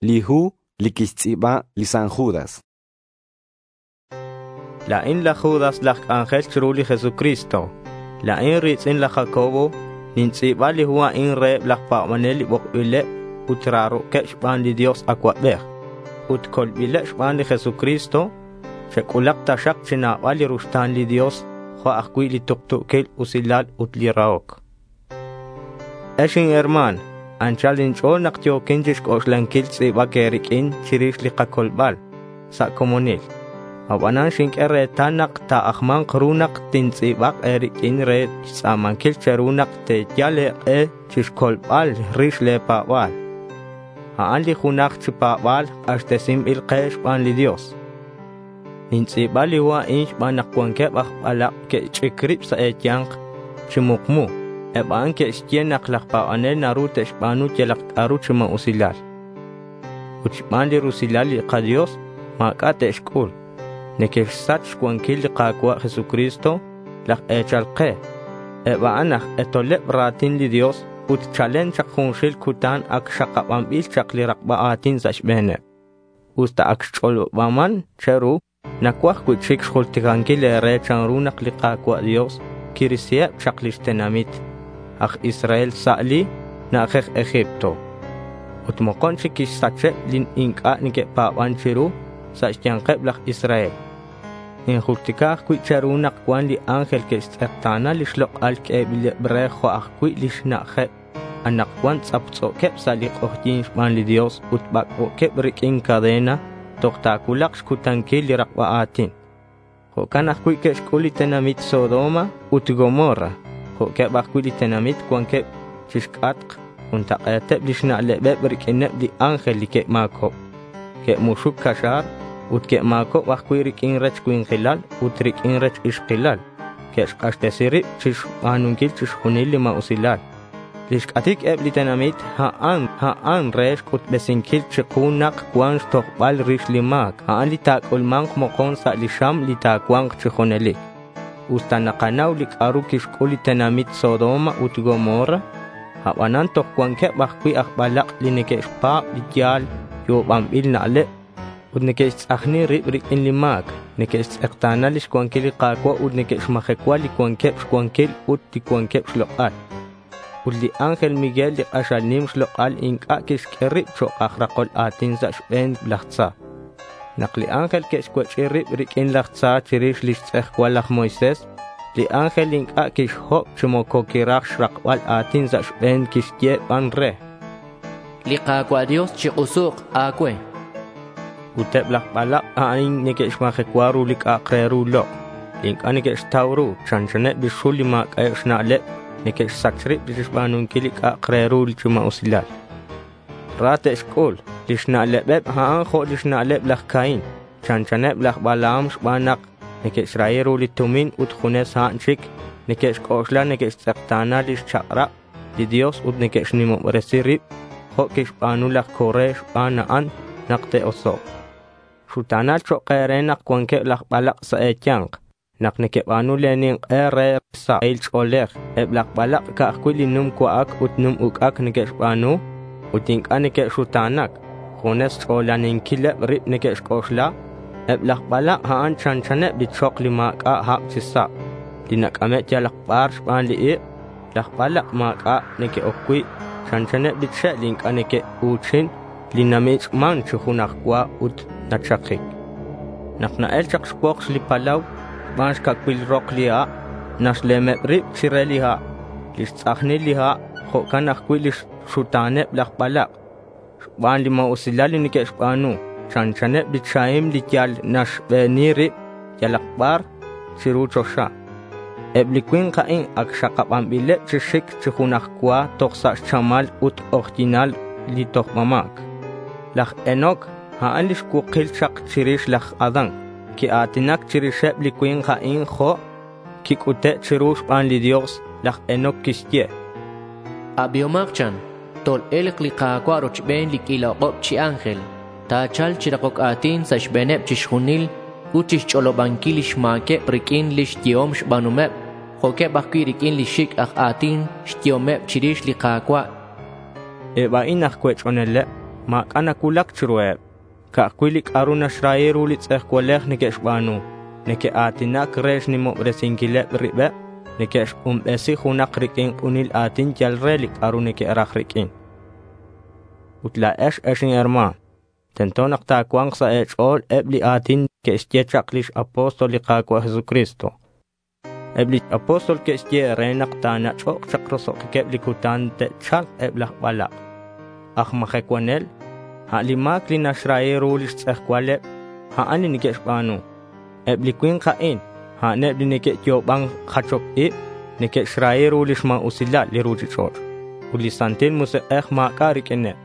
Li hu li quixtz'i̱ba li San Judas. La̱in laj Judas laj c'anjel chiru li Jesucristo. La̱in ri̱tz'in laj Jacobo. Nintz'i̱ba li hu a'in reheb laj pa̱banel li bokbileb ut raro̱queb xban li Dios Acuabej ut colbileb xban li Jesucristo. Chec'ulak taxak chi nabal li ruxta̱n li Dios jo' ajcui' li tuktu̱quil usilal ut li rahoc. Ex inherma̱n, anchal inch'o̱l nak yo̱quin chixc'oxlanquil tz'i̱bac e̱riq'uin chirix li kacolbal sa' comonil. Abanan xinq'ue retal nak ta̱ajma̱nk ru nak tintz'i̱bak e̱riq'uin re xtz'a̱manquil che̱ru nak te̱yal e̱k'e chixcolbal rix le̱ pa̱ba̱l. A'an li junaj chi pa̱ba̱l k'axtesinbil ke xban li Dios. Nintz'i̱ba li hu a'in xban nak cuanqueb aj balak' que'xch'ic rib sa' e̱ya̱nk chi mukmu. Eb a'an que'xye nak laj pa̱banel naru te'xba̱nu yalak c'a'ru chi ma̱usilal. Ut xban li rusilal li kaDios ma̱c'a' te'xc'ul. Neque'xsach xcuanquil li Ka̱cua' Jesucristo, laj e̱chal ke. Eb a'an aj k'etoleb ra̱tin li Dios ut chalen chak junxil cutan ac xakabanbil chak li rakba a̱tin sa' xbe̱neb. Usta ac xch'olobaman che̱ru, nacuaj cui'chic xjulticanquil e̱re chanru nak li Ka̱cua' Dios quirisiheb chak lix tenamit aj Israel sa' li na'ajej Egipto. Ut mokon chic quixsacheb li inc'a' neque'pa̱ban chiru sa' xya̱nkeb laj Israel. Ninjultica ajcui' che̱ru nak cuan li ángel que'xtz'ekta̱na lix lok'al q'uebileb re jo' ajcui' lix na'ajeb. Anakcuan tz'aptz'o̱queb sa' li k'ojyi̱n xban li Dios ut bac'bo̱queb riq'uin cadena toj ta̱cuulak xcutanquil li rakba a̱tin. Jo'can ajcui' que'xc'ul li tenamit Sodoma ut Gomorra. Jo'queb ajcui' li tenamit cuanqueb chixc'atk juntak'e̱teb lix na'lebeb riq'uineb li ángel li que'ma̱cob. Que'muxuc caxa̱r ut que'ma̱cob ajcui' riq'uin rech cui̱nkilal ut riq'uin rech ixkilal. Que'xk'axtesi rib chixba̱nunquil chixjunil li ma̱usilal. Lix c'atic eb li tenamit a'an re xc'utbesinquil chiku nak cuan xtojbal rix li ma̱c. A'an li ta̱c'ulma̱nk mokon sa' li xam li ta̱cua̱nk chi junelic. Usta nakanau li c'a'ru quixc'ul li tenamit Sodoma ut Gomorra, abanan toj cuanqueb ajcui' aj balak' li neque'xpa̱b li yal yo'obanbil na'leb ut neque'xtz'ajni rib riq'uin li ma̱c. Neque'xtz'ekta̱na lix cuanquil li Ka̱cua' ut neque'xmajecua li cuanqueb xcuanquil ut li cuanqueb xlok'al. Ut li ángel Miguel li k'axal nim xlok'al inc'a' quixq'ue rib chok' aj rakol a̱tin sa' xbe̱n laj tza. Nak li ángel que'xcuech'i rib riq'uin laj tza chirix lix tz'ejcual laj Moisés, li ángel inc'a' quixhob chi moco quiraj xrakbal a̱tin sa' xbe̱n quixye ban re: Li Ka̱cua' Dios chik'usuk a̱cue. Ut eb laj balak' a'in neque'xmajecua ru li c'a'ak re ru lok', li inc'a' neque'xtau ru. Chanchaneb li xul li ma̱c'a'eb xna'leb neque'xsach rib chixba̱nunquil li c'a'ak re ru chi ma̱usilal. Ra te'xc'ul. Lix na'lebeb a'an jo' lix na'leb laj Caín. Chanchaneb laj Balaam xban nak neque'xrahi ru li tumin ut junes a'an chic neque'xc'oxla neque'xtz'ekta̱na lix chak'rab li Dios ut neque'xnimobresi rib jo' quixba̱nu laj Coré xban a'an nak te'osok'. Xuta̱nal chok' e̱re nak cuanqueb laj balak' sa' e̱ya̱nk. Nak nequeba̱nu le̱ nink'e re sahil ch'o̱lej, eb laj balak' ca'aj cui' li num cua'ac ut num uc'ac neque'xba̱nu ut inc'a' neque'xuta̱nac. Junes xch'olaninquileb rib neque'xc'oxla. Eb laj balak' a'an chanchaneb li chok li ma̱c'a' hab chi sa', li nac'ame' yalak bar xban li ik'. Laj balak' ma̱c'a' neque'oc cui'. Chanchaneb li che' li inc'a' neque'u̱chin, li namich'man chi junaj cua ut nachakic. Nak na-el chak xpokx li palau xban xcacuil rok li ha', naxlemeb rib chire li ha'. Lix tz'ajnil li ha' jo'can ajcui' lix xuta̱neb laj balak' xban li ma̱usilal li neque'xba̱nu. Chanchaneb li chahim li yal naxbeni rib yalak bar chiru choxa. Eb li cui̱nk a'in ac xakabanbileb chi xic chi junaj cua toj sa' xchamal ut k'ojyi̱nal li tojbama̱c. Laj Enoc, a'an li xcuukil chak chirix laj Adán. Quia̱tinac chirixeb li cui̱nk a'in jo' quic'ute' chiru xban li Dios. Laj Enoc quixye: Abihomak chan, tol-elk li Ka̱cua' rochben li q'uila ok'ob chi ángel. Ta̱cha̱lk chi rakoc a̱tin sa' xbe̱neb chixjunil ut chixch'olobanquil lix ma̱queb riq'uin lix yehom xba̱numeb, jo'queb ajcui' riq'uin li xic' aj a̱tin xyehomeb chirix li Ka̱cua'. Eb a'in aj cuech'oneleb Ma̱c'a' nacuulac chiruheb. Ca'aj cui' li c'a'ru naxrahi ru li tz'ejcualej neque'xba̱nu. Neque'a̱tinac re xnimobresinquileb ribeb. Neque'xk'unbesi junak riq'uin k'unil a̱tin yal re li c'a'ru neque'raj riq'uin. Ut la̱ex, ex inherma̱n, tento nak ta̱cua̱nk sa' e̱ch'o̱l eb li a̱tin que'xye chak lix apóstol li Ka̱cua' Jesucristo. Eb li apóstol que'xye e̱re nak ta̱nach'ok chak roso'jiqueb li cutan te'cha̱lk eb laj balak' aj majecuanel. A' li ma̱c li naxrahi ru lix tz'ejcualeb, a'an li neque'xba̱nu. Eb li cui̱nk a'in, a'aneb li neque'yo'oban jachoc ib, neque'xrahi ru lix ma̱usilal li ruchich'och' ut li Santil Musik'ej ma̱c'a' riq'uineb.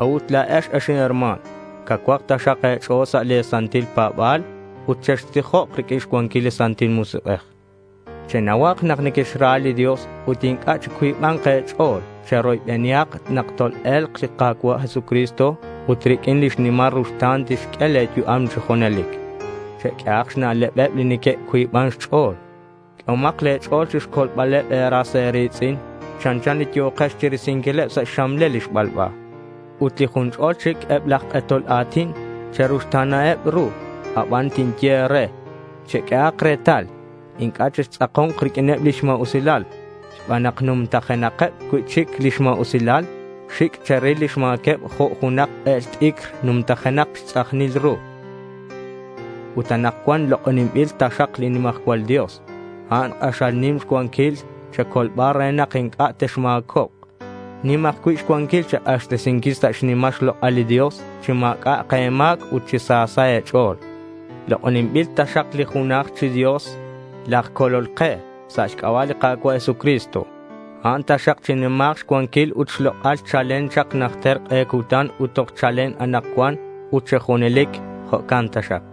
A'ut la̱ex, ex inherma̱n, cacuak taxak e̱ch'o̱l sa' le̱ santil pa̱ba̱l ut chextijok riq'uin xcuanquil li Santil Musik'ej. Chenauhak nak nequexra li Dios ut inc'a' chicuiba̱nk e̱ch'o̱l. Cheroybenihak nak tol-e̱lk li Ka̱cua' Jesucristo ut riq'uin lix nimal ruxta̱n tixq'ue le̱ yu'am chi junelic. Cheq'uehak xna'lebeb li neque'cuiban xch'o̱l. Q'uehomak le̱ ch'o̱l chixcolbaleb e̱ras e̱ri̱tz'in chanchan li yo̱kex chirisinquileb sa' xxamlel li xbalba. Ut li jun ch'ol chic eb laj k'etol a̱tin cheruxta̱naheb ru. Aban tinye e̱re, cheq'uehak retal, inc'a' chextz'ako̱nk riq'uineb lix ma̱usilal xban nak numtajenakeb cui'chic lix ma̱usilal. Xic' cheril lix ma̱queb jo' junak k'el t'icr numtajenak xtz'ajnil ru. Ut anakcuan lok'oninbil taxak li nimajcual Dios. A'an k'axal nim xcuanquil checolbal re nak inc'a' texma̱cobk. Nim ajcui' xcuanquil chek'axtesinquil sa' xnimal xlok'al li Dios chi ma̱c'a' e̱ma̱c ut chi sa sa' e̱ch'o̱l. Lok'oninbil taxak li junaj chi Dios, laj Colol ke, sa' xc'aba' li Ka̱cua' Jesucristo. A'an taxak chinima̱k xcuanquil ut xlok'al chalen chak najter k'e cutan ut toj chalen anakcuan ut chi junelic. Jo'can taxak.